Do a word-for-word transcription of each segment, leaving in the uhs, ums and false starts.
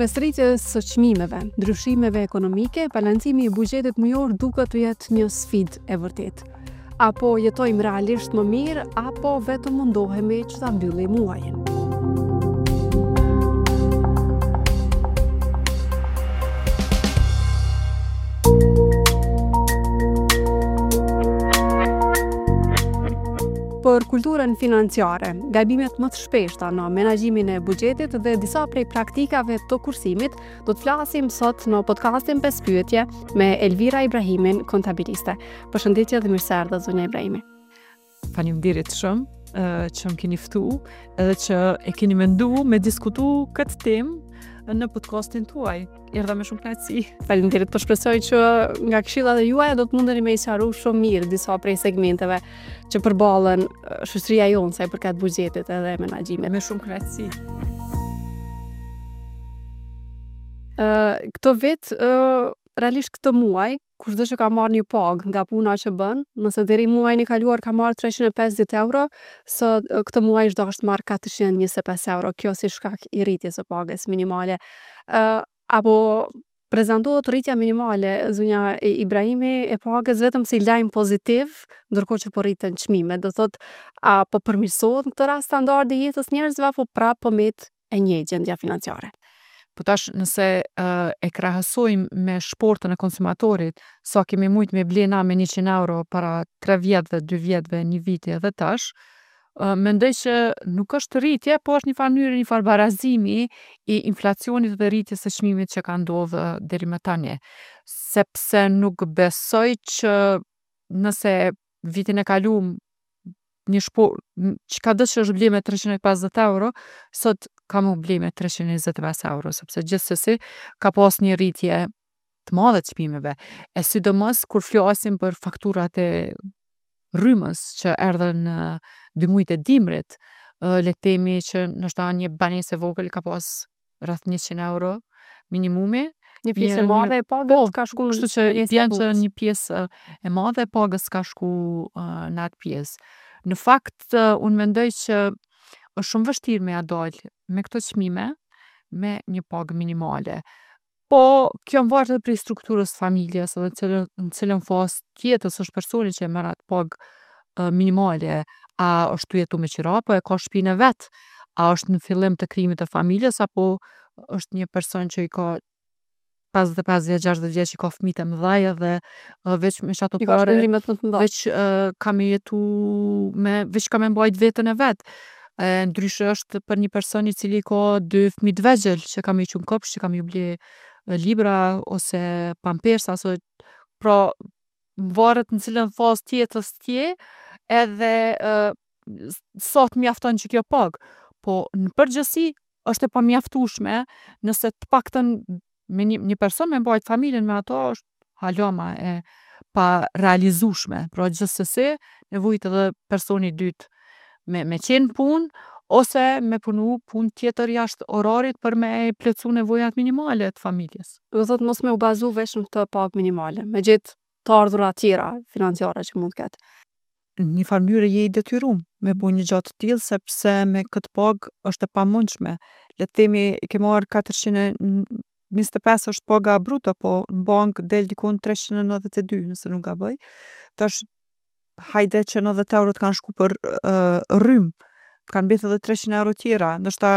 Mes rritjes së çmimeve, ndryshimeve ekonomike, balancimi i buxhetit mujor duket të jetë një sfidë e vërtetë. Apo jetojmë realisht më mirë, apo vetëm mundohemi që ta mbyllim muajin. Për kulturën financiare, gabimet më të shpeshta në menaxhimin e buxhetit dhe disa prej praktikave të kursimit, do të flasim sot në podcastin pesë pyetje me Elvira Ibrahimin, kontabiliste. Përshëndetje dhe mirë se erdhët, zonja Ibrahimi. Faleminderit shumë eh, që më keni ftu edhe që e keni mendu me diskutu këtë temë në podcastin tuaj. Erdha me shumë kënaqësi. Faleminderit, po shpresoj që nga këshillat e juaja do të mundeni me i sqaru shumë mirë disa prej segmenteve që përballen eh, shoqëria jonë sa i përket buxhetit edhe menaxhimit. Me shumë kënaqësi. Ë këtë vit, ë realisht këtë muaj, kushdo që ka marrë një pagë nga puna që bën, nëse deri muajin e kaluar ka marrë treqind e pesëdhjetë euro, sot këtë muaj është dashur të marrë katërqind e njëzet e pesë euro, kjo si shkak i rritjes së pagës minimale. Ë apo prezantohet rritja minimale, zonja Ibrahimi, e pagës vetëm si lajm pozitiv, ndërkohë që po rriten çmimet. Do thotë, a po përmirësohet në këtë rast standardi i jetës njerëzve apo prapë po met e njëjtë gjendja financiare? Po tash nëse uh, e krahasojmë me shportën e konsumatorit, sa kemi mujt me ble na me njëqind euro para tre vjetëve, dy vjetëve, një viti edhe tash, uh, mendoj që nuk është rritje, po është një farë mënyrë, një farë barazimi i inflacionit dhe rritjes së çmimit që ka ndodhë deri më tani. Sepse nuk besoj që nëse vitin e kalum një shpo, çka do që është ble me treqind e pesëdhjetë euro, sot ka mu ble me treqind e njëzet e pesë euro, sepse gjithsesi ka pas një rritje të madhe të çmimeve. E sidomos kur flasim për fakturat e rrymës që erdhën në dy mujt e dimrit, le të themi që ndoshta një banesë e vogël ka pas rreth njëqind euro minimumi. Një pjesë e madhe e pagës Po, ka shku kështu që bjen që një pjesë e madhe e pagës ka shku në atë pjesë. Në fakt, unë mendoj që është shumë vështirë me ja dal me këto çmime me një pagë minimale. Po, kjo mvaret edhe prej strukturës familjes edhe cilën, në cilën fazë t'jetës është personi që e merr atë pagë minimale. A është tu jetu me qira apo e ka shpinë e vet? A është në fillim të krijimit të familjes apo është një person që i ka pesëdhjetë e pesë vjet, gjashtëdhjetë vjeç, i ka fëmijët e mëdhej edhe veç me qato I ka pare shpenzimet më të mëdha. veç ka me jetu me veç ka me mbajt veten e vet. E ndryshe është për një person i cili ka dy fëmijë të vegjël që ka me i qu n'kopsht, që ka me ju ble libra ose pampersa ose pra mvaret në cilën fazë t'jetës je edhe sa t'mjafton që kjo pagë. Po në përgjithësi është e pamjaftueshme nëse t'paktën me një, një person me mbajt familjen me ato është hala ma e parealizushme. Pra gjithsesi nevojitet edhe personi i dytë me, me qenë n'punë ose me punu punë tjetër jashtë orarit për me i plotsu nevojat minimale të familjes. Do thotë mos me u bazu veç në këtë pagë minimale, me gjetë të ardhura tjera financiare që mund të ketë. Në një farë mënyre je i detyrum me bo një gja të tillë sepse me këtë pagë është e pamundshme. Le të themi i ke marrë katërqind e njëzet e pesë është paga bruto, po n'bankë del dikun treqind e nodhjetë e dy nëse nuk gaboj. Tash hajde që nodhjetë euro t'kanë shku për rrymë, t'kanë mbetë edhe treqind euro tjera, ndoshta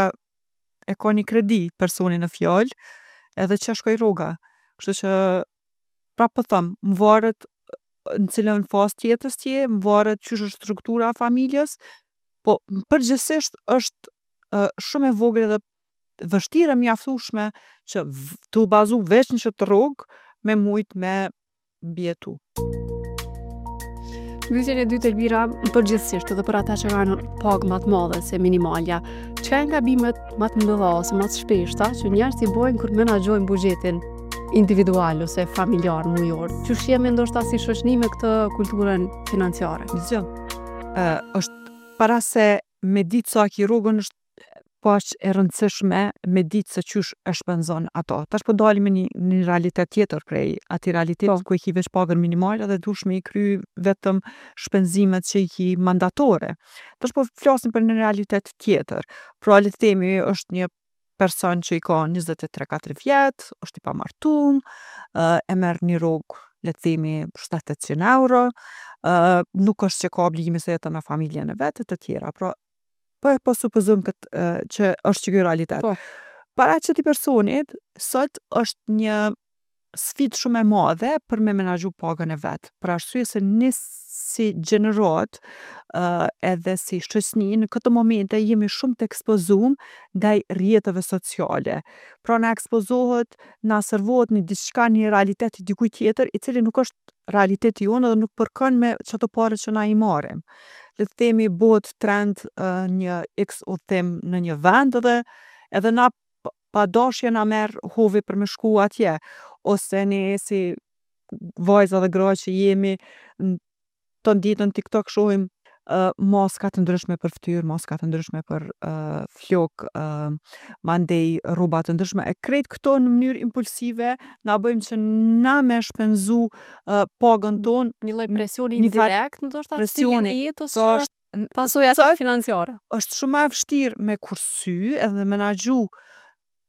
e ka ni kredi personi në fjalë edhe qe shkoi rroga. Kështu që prap po thom, mvaret në cilën fazë t'jetës je, mvaret qysh është struktura e familjes, po n'përgjithsisht është shumë e vogël edhe vështirë e mjaftushme që tu u bazu veç në qët rrogë me mujt me mbijetu. Pyetjen e dytë Elvira, përgjithsisht edhe për ata që kanë pagë më të madhe se minimalja, çka janë gabimet më të mëdha ose më të shpeshta që njerëzit i bojnë kur menaxhojnë buxhetin individual ose familjar mujor? Qysh jemi ndoshta si shoqëni me këtë kulturën financiare? Zgjo. Ë është para se me ditë sa e ki rrogën është po aq e rëndësishme me ditë se qysh e shpenzon ato. Tash po dalim me një, një realitet tjetër prej atij realitetit Po. ku e ki veç pagën minimale dhe duhesh me i kry vetëm shpenzimet që i ki mandatore. Tash po flasim për një realitet tjetër. Pra le t'themi është një person që i ka njëzet e tre katër vjet, osht i pamartum, e merr ni rrogë le t'themi shtat tetqin euro, nuk osht që ka obligime se jeton me familjen e vet e të tjera. Pra, po e po supozojmë këtë që osht qiky realitet. Po. Para qeti personit sot është një sfidë shumë e madhe për me menaxhu pagën e vet, për arsye se ne si gjeneratë edhe si shoqni në këto momente jemi shumë t'ekspozum ndaj rrjeteve sociale. Pra na ekspozohet, na servohet ni diçka, ni realitet i dikujt tjetër, i cili nuk është realiteti jonë edhe nuk përkon me qato pare që na i marrim. Le t'themi bohet trend një iks udhtim në një vend edhe edhe na pa dashje na merr hovi për me shku atje, ose ne si vajza dhe gra që jemi ton ditën n'Tiktok shohim maska t'ndryshme për ftyrë, maska të ndryshme për flokë, mandej rroba të ndryshme, e krejt kto në mënyrë impulsive na bëjnë që na me shpenzu pagën tonë. Një lloj presioni Nifar indirekt ndoshta presioni, n'stilin e jetës Po që është pasojat sot financiare. është shumë ma e vshtirë me kursy edhe menaxhu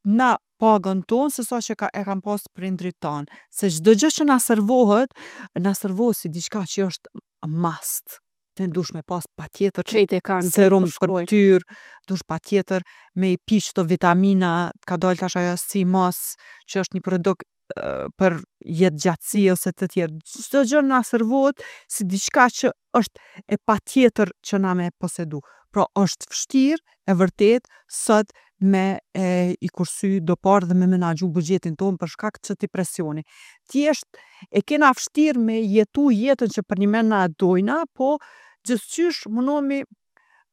na pagën tonë se sa që ka, e kanë pasë prindrit tanë. Se çdo gjë që na servohet, na servohet si diçka që është must. Ti duhesh me pas patjetër Krejt e kanë, serum po për shkruajnë. ftyrë, duhesh patjetër me i pi qto vitamina, ka dalë tash ajo sea moss, që është një produkt për jetëgjatsi ose të tjerë. Çdo gjë na servohet si diçka që është e patjetër që na me posedu. Pra është vshtirë e vërtet sot me e i kursy do pare dhe me menaxhu buxhetin tonë për shkak të qëti presioni. Thjesht e kena vshtirë me jetu jetën që përnime na e dojna, po gjithqysh munohemi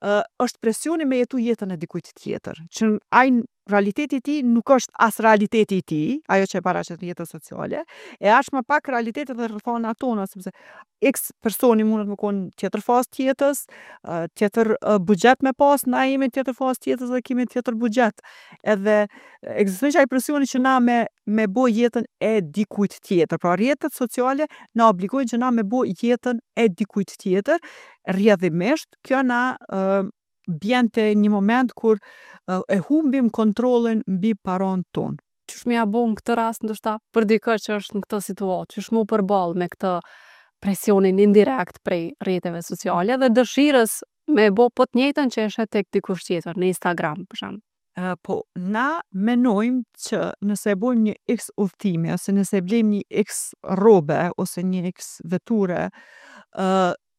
është presioni me jetu jetën e dikujt tjetër, që ai realiteti i tij nuk është as realiteti i tij, ajo që e paraqet n'rrjetet sociale, e aq ma pak realiteti dhe rrethanat tona, sepse iks personi mundet me kon n'tjetër fazë t'jetës, tjetër buxhet me pas, na jemi n'tjetër fazë t'jetës dhe kemi tjetër buxhet. Edhe ekziston qaj presioni që na me me bo jetën e dikujt tjetër. Pra rrjetet sociale na obligojnë që na me bo jetën e dikujt tjetër, rrjedhimisht kjo na bjen te një moment kur e humbim kontrollin mbi paron tonë. Qysh me ja bo në këtë rast ndoshta për dikë që është në këtë situatë, qysh mu përball me këtë presionin indirekt prej rrjeteve sociale dhe dëshirës me bo po të njëjtën që e sheh tek dikush tjetër në Instagram për shembull. Po na menojmë që nëse e bojmë një iks udhtimi ose nëse e blejmë një iks rrobe ose një iks veture,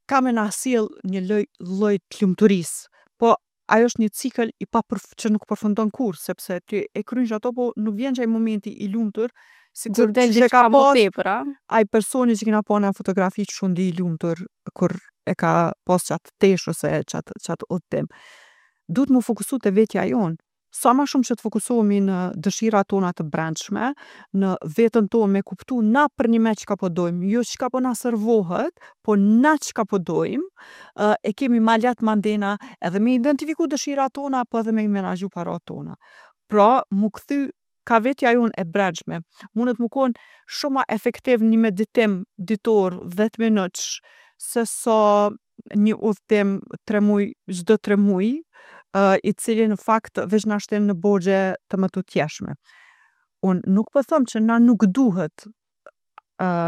ka me na sjell një loj lloj t'lumturisë. Po ajo është një cikël i papërf- që nuk përfundon kurrë, sepse ti e kryn qato po nuk vjen qaj momenti i lumtur sikur Kur del qysh e ka diçka më pas tepër, a? ai personi që kena pa na n'fotografi qysh u ndi i lumtur kur e ka pas qatë teshë ose qatë qatë udhtim. Duhet mu fokusu te vetja jonë. Sa ma shumë që t'fokusohemi në dëshirat tona të brendshme, në vetën tonë me kuptu na përnime çka po dojmë, jo çka po na servohet, po na çka po dojmë, e kemi ma lehtë mandena edhe me identifiku dëshirat tona, po edhe me i menaxhu parat tona. Pra, mu kthy ka vetja jonë e brendshme. Munët mu kon shumë ma efektiv një meditim ditor dhet minutsh se sa një udhtim tre muj çdo tre muj, i cili në fakt veq na shtin në borxhe të mëtutjeshme. Unë nuk po thom që na nuk duhet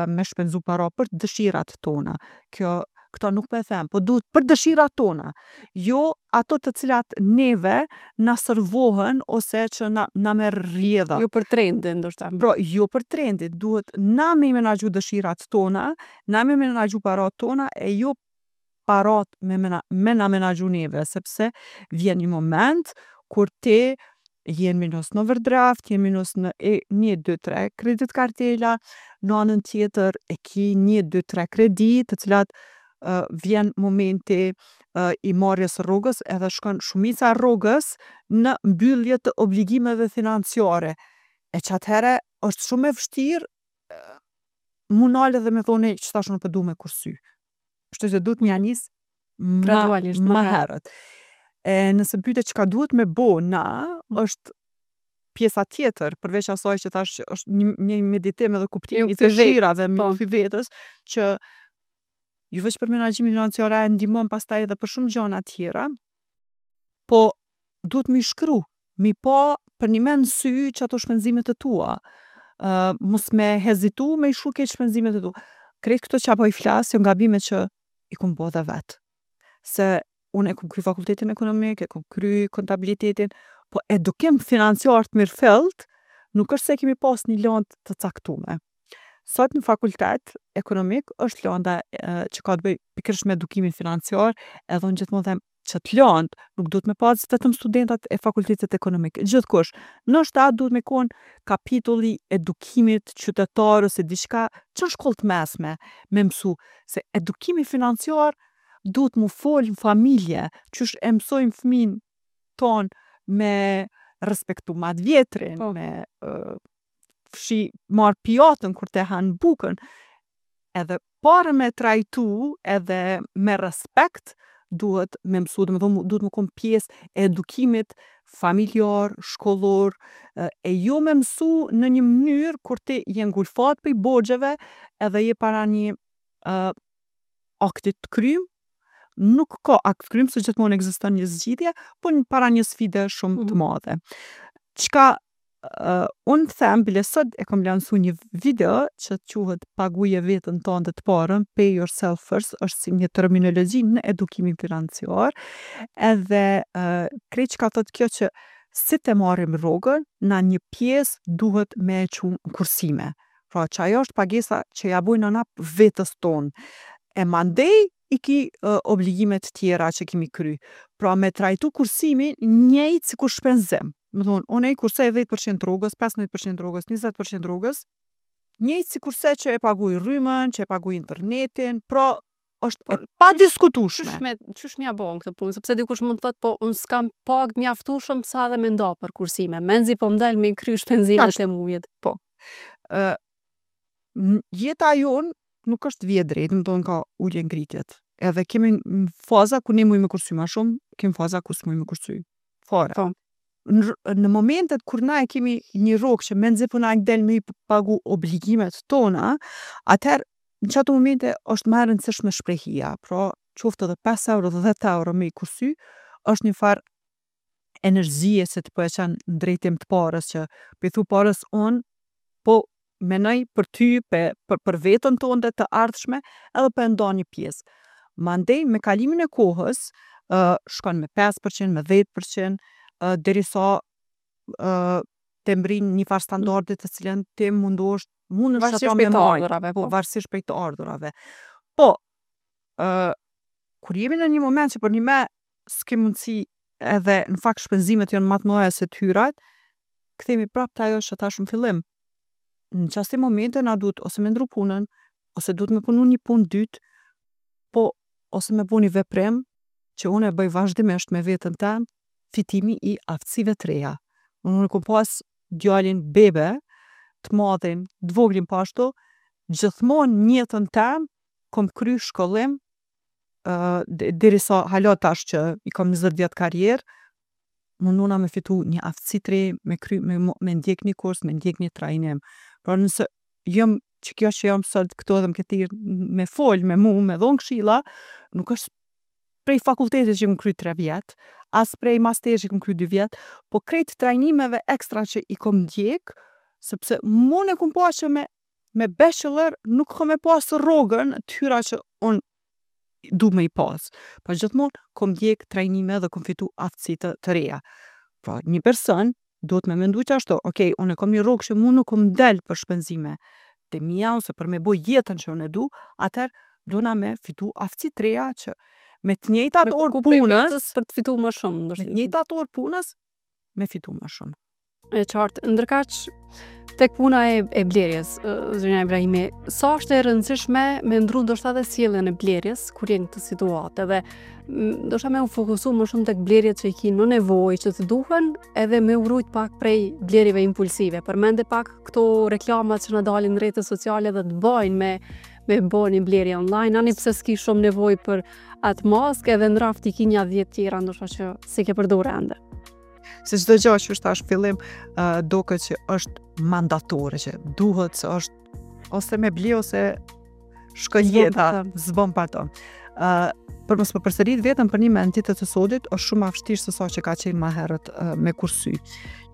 me shpenzu para për dëshirat tona. Kjo kto nuk po e them, po duhet për dëshirat tona, jo ato të cilat neve na servohen ose që na na merr rrjedha. Jo për trendin ndoshta. Pra, jo për trendin, duhet na me i menaxhu dëshirat tona, na me menaxhu parat tona, e jo parat me mena me na menaxhu neve, sepse vjen një moment kur ti je n'minus n'overdraft, je n'minus në e një dy tre kredit kartela, n'anën tjetër e ki një dy tre kredi të cilat vjen momenti i marrjes së rrogës edhe shkon shumica e rrogës në mbyllje të obligimeve financiare. E qatëhere është shumë e vështirë mu nal edhe me thonë ej qitash unë po du me kursy. Kështu që duhet me ja nis ma Gradualisht, ma ma herët. E nëse m'pyte çka duhet me bo na, është pjesa tjetër, përveç asaj që thash që është një një meditim edhe kuptimi i kthy vetës, dëshirave, me po. ju kthy vetës, që jo veq për menaxhimin financiar, ajo ndihmon pastaj edhe për shumë gjana tjera, po duhet mi shkru, mi pa Përnime n'sy qato shpenzimet e tua. Uh, mos me hezitu me i shkru krejt shpenzimet e tua. Krejt këto që po i flas janë gabime që i kom bo edhe vet. Se unë e kom kry fakultetin ekonomik, e kom kry kontabilitetin, po edukim financiar të mirëfillt, nuk është se kemi pas një landë të caktume. Sot në fakultet ekonomik është landa e, që ka të bëjë pikërisht me edukimin financiar, edhe unë gjithmonë them që të landë nuk duhet me pas vetëm studentat e fakultetit ekonomik, gjithkush. Ndoshta duhet me kon kapitulli edukimit qytetar ose diçka që në shkollë të mesme me mësu se edukimi financiar duhet mu fol në familje, qysh e mësojmë fëmin ton me respektu ma të vjetrin, Po. me uh, fshi marr pjatën kur te han bukën. Edhe pare me trajtu edhe me respekt duhet me mësu, do me thonë duhet me kon pjesë e edukimit familjar, shkollor, e e jo me mësu në një mënyrë kur ti je ngulfat prej borxheve edhe je para një uh, aktit të krym, nuk ka akt të krym, se gjithmonë ekziston një zgjidhje, po në para një sfide shumë të Mhm. madhe. Çka uh, unë them, bile sot e kom lansu një video që quhet Paguje veten tënde të parën, pay yourself first, është si një terminologji në edukimin financiar, edhe uh, krejt çka thot kjo që si të marrim rrogën, na një pjesë duhet me e qu në kursime. Pra që ajo është pagesa që ja bojnë na vetës tonë. E mandej i ki uh, obligimet tjera që kemi kry. Pra me trajtu kursimin njëjtë si kur shpenzim. Më thonë, unë i kursej dhjetë për qind rrogës, pesëmbëdhjetë për qind rrogës, njëzet për qind rrogës, njëjtë si kurse që e paguaj rrymën, që e paguaj internetin, pra është e padiskutueshme. Qysh me qysh m'ja bo këtë punë, sepse dikush mund të thotë, po unë s'kam pag mjaftueshëm sa edhe me nda për kursime. Menzi po m'del me i kry shpenzimet Tash. e mujit. Po. Ë n- jeta jonë nuk është vije drejtë, më thonë ka ulje ngritjet. Edhe kemi n- faza ku ne mujmë me kursy ma shumë, kemi faza ku s'mujmë me kursy fare. Po. Në, në momentet kur na e kemi një rrogë që menzi po na del me i pagu obligimet tona, atëherë në qato momente është më e rëndësishme shprehia. Pra, qoftë edhe pesë euro dhe dhjetë euro me i kursy, është një farë energjie se të po e qenë në drejtim të parës që po i thu parës unë po menoj për ty, pe, për, për vetën tonë të ardhshme, edhe po e nda një pjesë. Mandej, me kalimin e kohës, uh, shkon me pesë për qind, me dhjetë për qind, uh, derisa uh, të mbrin një farë standardi të cilën ti mundohesh mundesh Varësisht ato prej me të majt. ardhurave, Po, po. varësisht prej të ardhurave. Po, uh, kur jemi në një moment që për një me s'ke mundësi edhe në fakt shpenzimet janë më të mëdha se të hyrat, kthehemi prapë te ajo që thash në fillim. Në qasti momente na duhet ose me ndru punën, ose duhet me punu një punë dytë, po ose me bu një veprim që unë e bëj vazhdimisht me veten tem, fitimi i aftësive të reja. Unë kom pas djalin bebe, të madhin, të voglin po ashtu, gjithmonë në jetën tem kom kry shkollim, uh, derisa hala tash që i kom njëzet vjet karrierë, mundona me fitu një aftësi të re, me kry, me, me ndjek një kurs, me ndjek një trajnim. Pra nëse jam që kjo që jam sot këtu edhe më ke thirr me fol me mu, me dhon këshilla, nuk është prej fakultetit që më kry tre vjet, as prej masterit që kom kry dy vjet, po krejt trajnimeve ekstra që i kom ndjek, sepse mund e kom pa që me, me bachelor nuk kom e pas rrogën të hyra që unë du me i pas. Po gjithmonë kom ndjek trajnime dhe kom fitu aftësi të, të reja. Pra, një person duhet me mendu që ashtu, okej, unë e kom një rrogë që mu nuk kom del për shpenzime të mia ose për me bo jetën që unë e du, atëherë duna me fitu aftësi të reja që me të njëjtat Me orë kërku prej punës, vetës për të fitu më shumë, me ndoshta. të njëjtat orë punës, me fitu më shumë. E qartë. Ndërkaq, tek puna e, e blerjes, ë, zonja Ibrahimi, sa është e rëndësishme me ndru ndoshta edhe sjelljen e blerjes kur je në këtë situatë edhe m, ndoshta me u fokusu më shumë tek blerjet që i ki në nevojë që të duhen edhe me u rujt pak prej blerjeve impulsive. Përmende pak këto reklamat që na dalin në rrjetet sociale dhe të bajnë me me bo një blerje online, ani pse s'ki shumë nevojë për atë maskë edhe në raft i ki nja dhjetë tjera ndoshta që s'e ke përdorur ende. Se çdo gjë që është tash fillim, uh, doket që është mandatore, që duhet se është ose me ble ose shkon S'bon jeta, pa të. s'bon pa to. Uh, për mos më përsërit vetëm për një me në ditët e sodit, është shumë ma vështirë se sa që ka qenë ma herët uh, me kursy.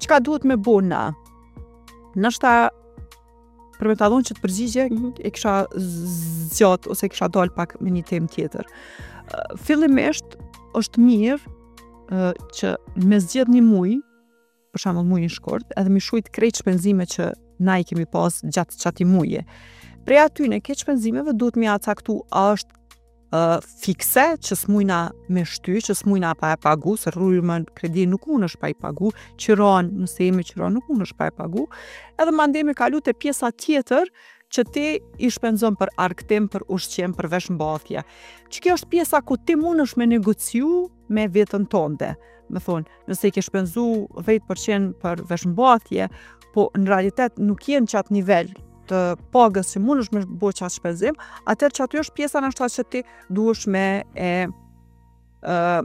Çka duhet me bo na? Nështë për me ta dhonë që të përgjigje, mm -hmm. e kisha zgjat ose kisha dal pak me një temë tjetër. Uh, fillimisht është mirë uh, që me zgjedh një muj, për shembull mujin shkurt, edhe mi shujt krejt shpenzime që na i kemi pas gjatë qati muje. Prej atyne, këtë shpenzimeve duhet mi caktu a është uh, fikse, që s'mujna me shty, që s'mujna pa e pagu, se rrymën, kredi nuk mund është pa i pagu, qiron, nëse jemi qiron, nuk mund është pa e pagu, edhe mandej me kalu te pjesa tjetër që ti i shpenzon për argëtim, për ushqim, për veshmbathje. Që kjo është pjesa ku ti mundesh me negociu me vetën tënde. Me thonë, nëse i ke shpenzu dhjetë për qind për veshmbathje, po në realitet nuk je në qatë nivel të pagës që mundesh me bo qatë shpenzim, atëherë që aty është pjesa nështë që ti duhesh me e uh,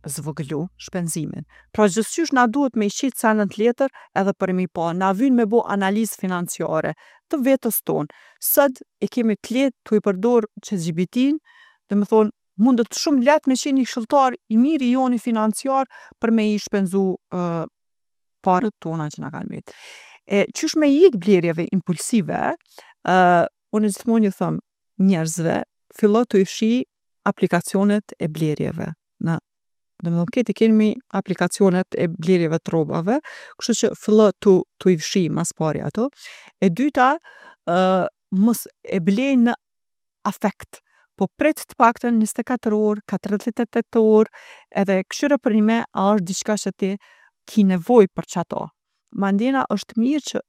zvogëlu shpenzimin. Pra gjithqysh na duhet me i qitë sendet n'letër edhe për mi pa. Na vyn me bo analizë financiare të vetës tonë. Sot e kemi të lehtë tu i përdor ChatGPT-n, dhe me thonë, mundet shumë lehtë me qenë një këshilltar i mirë i joni financiar për me i shpenzu uh, paret tona që na kanë met. E qysh me i ik blerjeve impulsive, uh, unë gjithmonë ju thom njerëzve, fillo të i fshi aplikacionet e blerjeve. Në Do me thonë, këtë i kemi aplikacionet e blerjeve të rrobave, kështu që fillo tu, tu i fshi mas pari ato. E dyta, uh, mos e blej në afekt, po prit të paktën njëzet e katër orë, katërdhjetë e tetë orë, edhe kqyre përnime a është diçka që ti ki nevojë për qato. Mandena është mirë që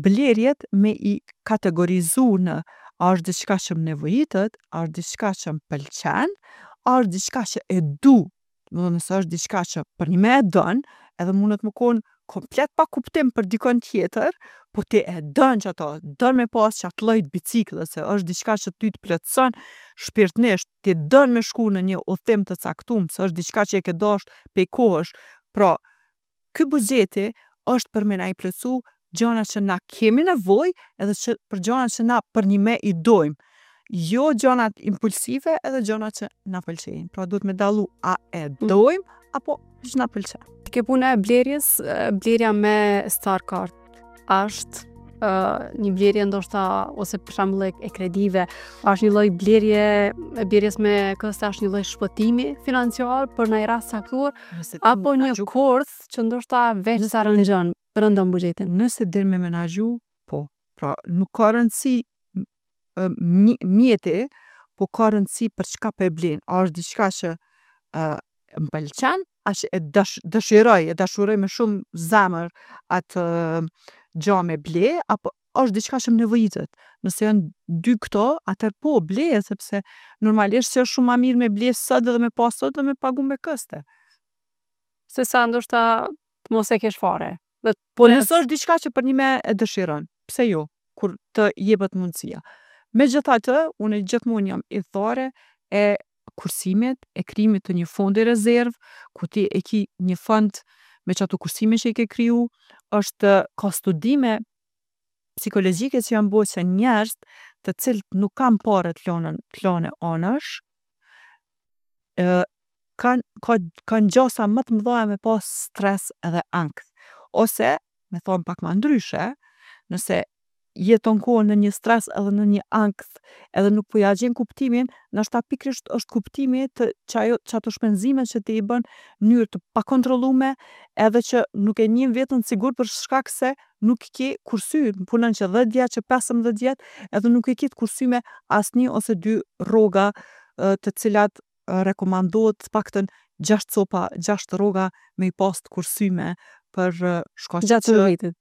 blerjet me i kategorizu në a është diçka që më nevojitet, a është diçka që më pëlqen, a është diçka që e du. Do të nëse është diçka që për një me e don, edhe mundet me konë komplet pa kuptim për dikon tjetër, po ti e don që ato, don me pas qatë lloj të biciklës, se është diçka që ty të plotëson shpirtnisht, ti don me shku në një udhtim të caktum, se është diçka që e ke dasht prej kohësh. Pra, ky buxheti është për me na i plotsu gjana që na kemi nevojë edhe që për gjana që na përnime i dojmë. Jo gjanat impulsive edhe gjanat që na pëlqejnë. Pra duhet me dallu a e dojmë apo që na pëlqen. Ke puna e blerjes, e, blerja me Star Card është uh, një blerje ndoshta ose për shembull e, e kredive, është një lloj blerje e blerjes me këste, është një lloj shpëtimi financiar për ndonjë rast caktuar apo një kurth që ndoshta veç sa rëngjën, rëndon buxhetin. Nëse din me menaxhu, po. Pra nuk ka rëndësi ë, mjeti, po ka rëndësi për çka po e blen. A është diçka që uh, më pëlqen, a që e dash, dëshiroj, e dashuroj me shumë zemër atë gja me ble, apo është diçka që më nevojitet. Nëse janë dy këto, atëherë po, bleje, sepse normalisht që është shumë ma mirë me ble sot edhe me pas sot dhe me pagu me këste. Se sa ndoshta të mos e kesh fare. Dhe Po nëse është diçka që për një me e dëshiron, pse jo, kur të jepet mundësia. Megjithatë, unë gjithmonë jam ithare e kursimit, e krijimit të një fondi rezerv, ku ti e ki një fond me qato kursime që i ke kriju, është ka studime psikologjike që janë bo që njerëz të cilët nuk kanë pare të lënë të lënë anash, ë kanë ka kanë gjasa më të mëdha me pas stres edhe ankth. Ose, me thonë pak ma ndryshe, nëse jeton kohën në një stres edhe në një ankth edhe nuk po ja gjen kuptimin, ndoshta pikërisht është kuptimi të qajo qato shpenzime që ti i bën në mënyrë të pakontrollume edhe që nuk e njeh veten sigurt për shkak se nuk ke kursy, punon që dhjetë vjet, që pesëmbëdhjetë vjet, edhe nuk e ke të kursyme as një ose dy rroga të cilat rekomandohet të paktën gjashtë copa, gjashtë rroga me i pas të kursyme për shkaqe gjatë që vitit.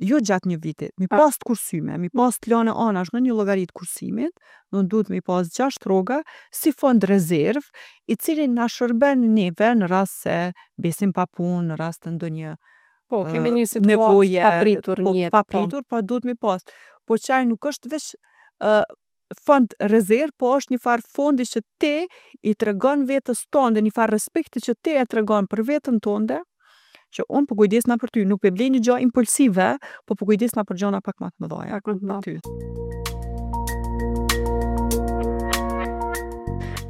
Jo gjatë një viti, mi pas të kursyme, mi pas të lane anash në një llogari të kursimit, do duhet me i pas gjashtë rroga si fond rezerv, i cili na shërben neve në rast se mbesim pa punë, në rast të ndonjë Po, kemi një situatë nevoje papritur po, në jetë. Papritur, po duhet mi pas. Po qaj nuk është veç uh, fond rezerv, po është një farë fondi që ti i tregon vetës tënde, një farë respekti që ti e tregon për vetën tënde, që unë po kujdesna për ty, nuk pe blej një gjë impulsive, po po kujdesna për gjëra pak më të mëdha. Pak më të mëdha. Ty.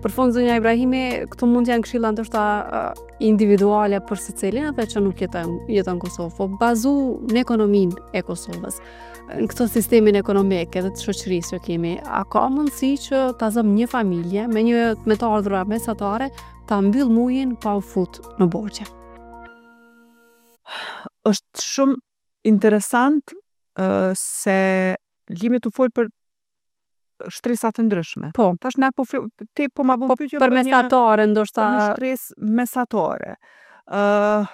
Për fund, zonja Ibrahimi, këto mund të janë këshilla ndoshta uh, individuale për secilin edhe që nuk jeton jeton në Kosovë, po bazu në ekonominë e Kosovës, në këtë sistemin ekonomik edhe të shoqërisë që kemi, a ka mundësi që ta zëm një familje me një me të ardhura mesatare ta mbyll mujin pa u fut në borxhe? Është shumë interesant uh, se jemi tu fol për shtresa të ndryshme. Po. Tash na po fl- ti po ma bon Po, pyetje për një- mesatare ndoshta për një shtresë mesatare. Ë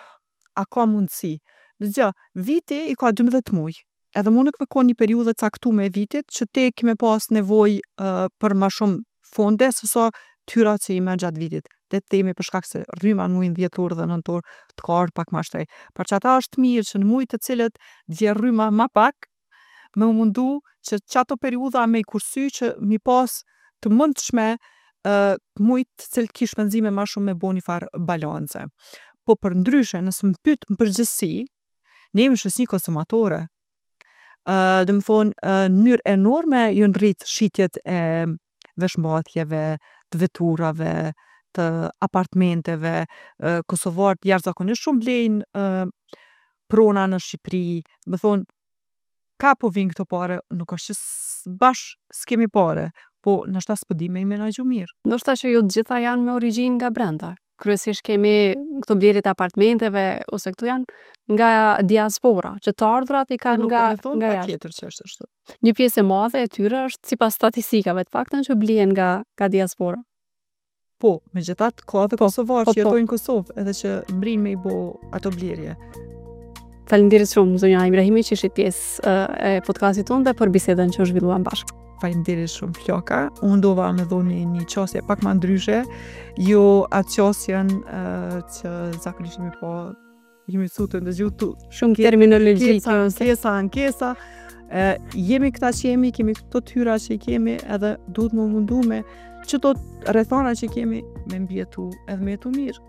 a ka mundësi? Dëgjo, viti i ka dymbëdhjetë muj. Edhe mundet me kon një periudhë e caktume e vitit që ti ke me pas nevojë uh, për ma shumë fonde se sa t'hyrat që i merr gjatë vitit. Le të themi për shkak se rryma në mujin dhjetor dhe nëntor të ka ardhur pak ma shtrejt. Për që ata është mirë që në mujt të cilët vjen rryma ma pak, me u mundu që qato periudha me i kursy që mi pas të mundshme uh, mujt të cilët ki shpenzime ma shumë me bo një farë balance. Po për ndryshe, nëse më pyet në përgjithësi, ne jemi shoqni konsumatore. Uh, dhe më thonë, uh, në mënyrë enorme janë rrit shitjet e veshmbathjeve, të veturave, të apartmenteve, uh, kosovarët jashtëzakonisht shumë blejnë uh, prona në Shqipëri, më thonë, ka po vinë këto pare, nuk është që s- bash s'kemi pare, po ndoshta s'po di me i menaxhu mirë. Ndoshta që jo të gjitha janë me origjinë nga brenda. Kryesisht kemi këto blerjet e apartamenteve ose këto janë nga diaspora, që të ardhurat i kanë Nuk nga po me thonë nga jashtë. patjetër që është ashtu. Një pjesë e madhe e tyre është sipas statistikave, të paktën që blihen nga nga diaspora. Po, megjithatë ka edhe kosovarë po, që po. jetojnë në Kosovë edhe që mrin me i bo ato blerje. Faleminderit shumë zonja Ibrahimi që ishit pjesë ë, e podcastit tonë dhe për bisedën që zhvilluam bashkë. Faleminderit shumë Floka. Unë dova me dhonë një, një qasje pak ma ndryshe, jo atë qasjen uh, që zakonisht jemi po jemi mësu të ndëgju tu Shumë Ke- terminologji ankesa, ankesa, ankesa. E, jemi këta që jemi, kemi këto t'hyra që i kemi, edhe duhet më mundu me që to rrethana që kemi me mbijetu edhe me jetu mirë.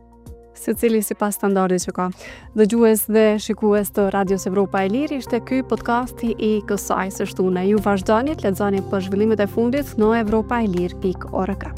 Secili sipas standardit që ka. Dëgjues dhe shikues të Radios Evropa e Lirë, ishte ky podcasti i kësaj së shtune. Ju vazhdoni të lexoni për zhvillimet e fundit në evropaelir pikë org.